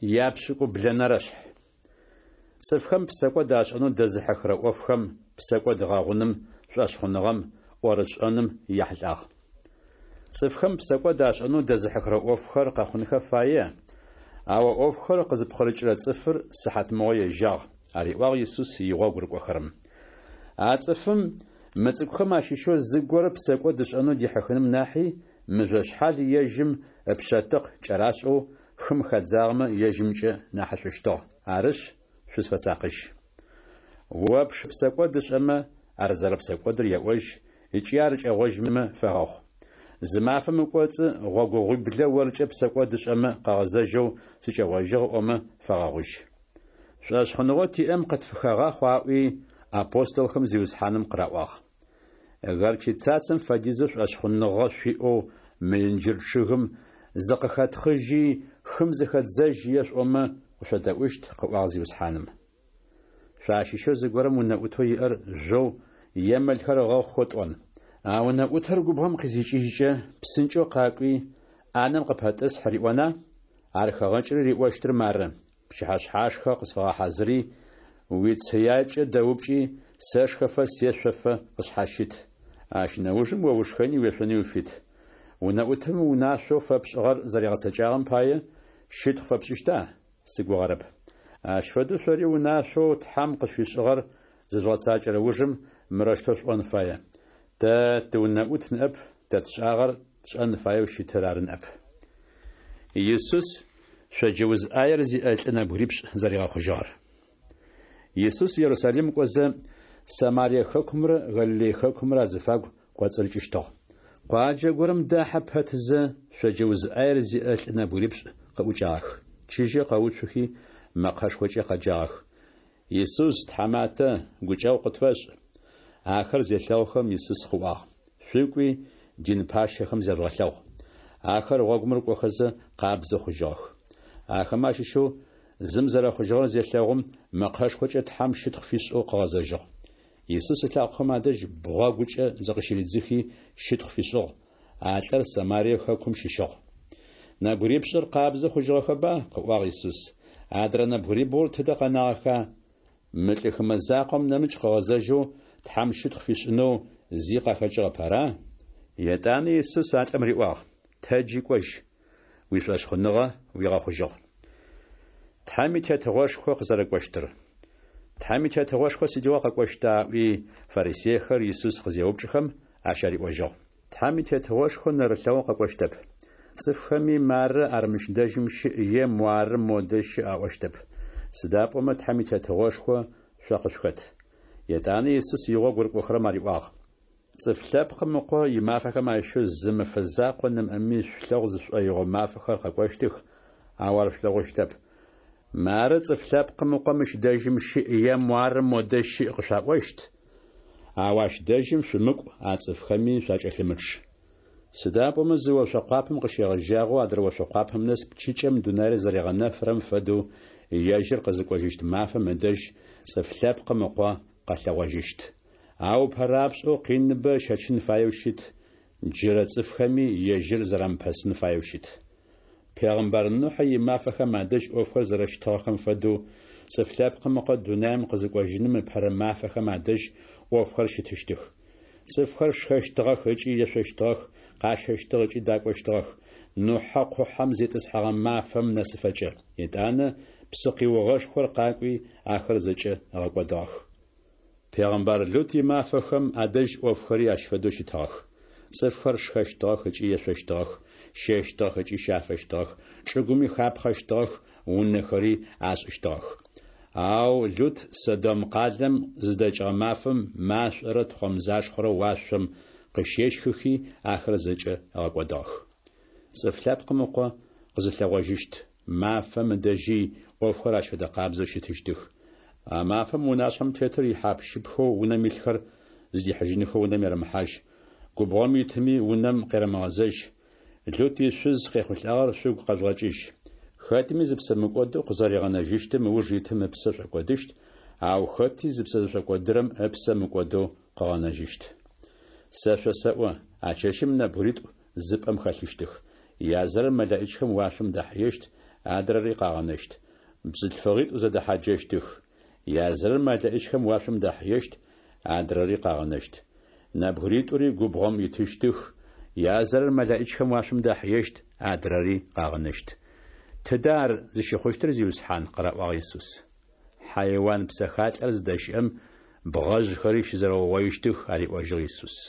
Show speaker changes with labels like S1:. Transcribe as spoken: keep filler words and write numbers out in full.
S1: Япшӏыкӏублэнэрэ шъхь. Цӏыфхэм псэкӏод ашӏэнэу дэзыхьыхырэ ӏофхэм, псэкӏод гъэгъуным, шӏошъхъуныгъэм, ӏорышӏэным яхьылӏагъ. Цӏыфхэм псэкӏод ашӏэнэу дэзыхьыхырэ ӏофхэр къэхъунхэ фае, ау а ӏофхэр къызпкъырыкӏырэ цӏыфыр сыхьатмыгъо ежьагъ, ариӏуагъ Исус игъогу рыкӏохэрэм. А цӏыфым мы цӏыкӏухэм ащыщэу зыгорэ псэкӏод ышӏэнэу дихьыхыным нахьи, мыжъошъхьал ежьым ыпшъэтыкъ кӏэрашӏэу хым хадзагъэмэ ежьымкӏэ нахьышӏущтыгъ. Арышъ, шъузфэсакъыжь. О пшы псэкӏод ышӏэмэ, ар зэрэпсэкӏодыр еӏожь, ыкӏи ар кӏэгъожьмэ фэгъэгъу. Зы мафэм ыкӏоцӏы гъогогъуиблэ оркӏэ псэкӏод ышӏэмэ къыгъэзэжьэу сыкӏэгъожьыгъ ыӏомэ фэгъэгъужь. Шӏошъхъуныгъэу тиӏэм къытфыхэгъахъу аӏуи, апостолхэм Зиусхьаным къыраӏуагъ. Горчицацэм фэдизэу шӏошъхъуныгъэ шъуиӏэу мы инджыр чъыгым «Зыкъыхэтхъыжьи, хым зыхэдзэжь» ешъуӏомэ, къышъодэӏущт, къыӏуагъ Зиусхьаным. Шъуащыщэу зыгорэм унэӏутэу иӏэр жъоу е мэлхэр ыгъэхъухэу тӏон. А унэӏутыр губгъом къызикӏыжькӏэ, псынкӏэу къакӏуи, ӏанэм къыпэтӏысхь риӏона? Ар хэгъэкӏри риӏощтыр мары: Пчыхьэшъхьашхэ къысфэгъэхьазыри, уицыякӏэ дэупкӏи, сэшхэфэ сешъофэ къысшъхьащыт. Ащ нэужым о ушхэни уешъони уфит. Унэӏутым унашъоу фэпшӏыгъэр зэригъэцэкӏагъэм пае щытхъу фэпшӏыщта? Сыгугъэрэп. Ащ фэдэу шъори унашъоу Тхьэм къышъуфишӏыгъэр зыжъугъэцакӏэрэ ужым мырэущтэу шъуӏон фае: Тэ тыунэӏут ныӏэп, тэ тшӏагъэр тшӏэн фаеу щытыр ары ныӏэп. Исус шъоджэ уз ӏаер зиӏэ лӏы нэбгырипшӏ зэригъэхъужьыгъэр. Исус Ерусалим кӏозэ, Самарие хэкумрэ Галилей хэкумрэ азыфагу кӏоцӏырыкӏыщтыгъ. Къуаджэ горэм дахьэ пэтзэ, шъоджэ уз ӏаер зиӏэ лӏы нэбгырипшӏ къыӏукӏагъэх. Чыжьэу къэуцухи, мэкъэшхокӏэ къэджагъэх: Исус, Тхьаматэ, гукӏэгъу къытфэшӏ! Ахэр зелъэгъухэм, Исус къыӏуагъ: Шъукӏуи, дин пащэхэм зяжъугъэлъэгъу. Ахэр гъогум рыкӏохэзэ, къабзэ хъужьыгъэх. Ахэмэ ащыщэу зым зэрэхъужьыгъэр зелъэгъум, мэкъэшхокӏэ Тхьэм щытхъу фишӏэу къыгъэзэжьыгъ. Исус ылъакъохэм адэжь бгъэгукӏэ зыкъыщыридзыхи, щытхъу фишӏыгъ. А лӏыр Самарие хэкум щыщыгъ. Нэбгырипшӏыр къабзэ хъужьыгъэхэба? къыӏуагъ Исус. Адрэ нэбгырибгъур тыдэ къэнагъэха? Мы лӏы хымэ закъом нэмыкӏ къыгъэзэжьэу Тхьэм щытхъу фишӏынэу зи къахэкӏыгъэп, ара? Етӏанэ Исус а лӏым риӏуагъ: Тэджи кӏожь, уишӏошъхъуныгъэ уигъэхъужьыгъ. Тхьэм и Тетыгъошхо къызэрэкӏощтыр. Тхьэм и Тетыгъошхо сыдигъо къэкӏощта? ыӏуи, фарисейхэр Исус къызеупчӏхэм, ащ ариӏожьыгъ: Тхьэм и Тетыгъошхо нэрылъэгъоу къэкӏощтэп. Цӏыфхэми мары ар мыщ дэжьым щыӏ е муары модэ щыӏ аӏощтэп. Сыда пӏомэ Тхьэм и Тетыгъошхо шъо къышъухэт. Етӏанэ Исус игъогу рыкӏохэрэм ариӏуагъ: Цӏыф Лъэпкъым Ыкъо имафэхэм ащыщэу зы мэфэ закъо нэмыӏэми шъулъэгъу зышӏоигъо мафэхэр къэкӏощтых, ау ар шъулъэгъущтэп. Мары Цӏыф Лъэпкъым Ыкъо мыщ дэжьым щыӏ е муары модэ щыӏ къышъуаӏощт, ау ащ дэжьым шъумыкӏу, а цӏыфхэми шъуакӏэлъымычъ. Сыда пӏомэ зы ошъо къуапэм къыщегъэжьагъэу адрэ ошъо къуапэм нэс пчыкӏэм дунаир зэригъэнэфырэм фэдэу ежьыр къызыкӏожьыщт мафэм ыдэжь Цӏыф Лъэпкъым Ыкъо къэлъэгъожьыщт. Ау ыпэрапшӏэу къиныбэ ыщэчын фаеу щыт, джырэ цӏыфхэми ежьыр зэрамыпэсын фаеу щыт. Пегъымбар Нухьэ имафэхэм адэжь ӏофхэр зэрэщытыгъэхэм фэдэу Цӏыф Лъэпкъым Ыкъо дунаим къызыкӏожьыным ыпэрэ мафэхэм адэжь ӏофхэр щытыщтых. Цӏыфхэр шхэщтыгъэх ыкӏи ешъощтыгъэх, къащэщтыгъ ыкӏи дакӏощтыгъэх, Нухьэ къухьэм зитӏысхьэгъэ мафэм нэсыфэкӏэ. Етӏанэ псыкъиугъэшхор къакӏуи, ахэр зэкӏэ ыгъэкӏодыгъэх. Пегъымбар Лут имафэхэм адэжь ӏофхэри ащ фэдэу щытыгъэх. Цӏыфхэр шхэщтыгъэх ыкӏи ешъощтыгъэх, щэщтыгъэх ыкӏи щафэщтыгъэх, чӏыгуми хапхъэщтыгъэх, унэхэри ашӏыщтыгъэх. Ау Лут Содом къалэм зыдэкӏыгъэ мафэм машӏорэ тхъомзашхъорэ уашъом къыщещхыхи, ахэр зэкӏэ ыгъэкӏодыгъэх. Цӏыф Лъэпкъым Ыкъо къызылъэгъожьыщт мафэм ыдэжьи ӏофхэр ащ фэдэ къабзэу щытыщтых. А мафэм унашъхьэм тетыр ихьап-щыпхэу унэм илъхэр зыдихьыжьынхэу унэм ерэмыхьажь, губгъом итыми унэм къерэмыгъэзэжь. Лут ишъуз къехъулӏагъэр шъугу къэжъугъэкӏыжь. Хэтми зыпсэ мыкӏодэу къызэригъэнэжьыщтым ыуж итым ыпсэ шӏокӏодыщт, ау хэти зыпсэ зышӏокӏодырэм ыпсэ мыкӏодэу къыгъэнэжьыщт. Сэ шъосэӏо, а чэщым нэбгыритӏу зы пӏэм хэлъыщтых. Язырэр мэлэӏичхэм уашъом дахьыещт, адрэри къагъэнэщт. Бзылъфыгъитӏу зэдэхьаджэщтых. Язырэр мэлэӏичхэм уашъом дахьыещт, адрэри къагъэнэщт. Нэбгыритӏури губгъом итыщтых, язырэр мэлэӏичхэм уашъом дахьыещт, адрэри къагъэнэщт. Тыда ар зыщыхъущтыр, Зиусхьан? къыраӏуагъ Исус. Хьайуан псэхалӏэр зыдэщыӏэм бгъэжъхэри щызэрэугъоищтых, ариӏожьыгъ Исус.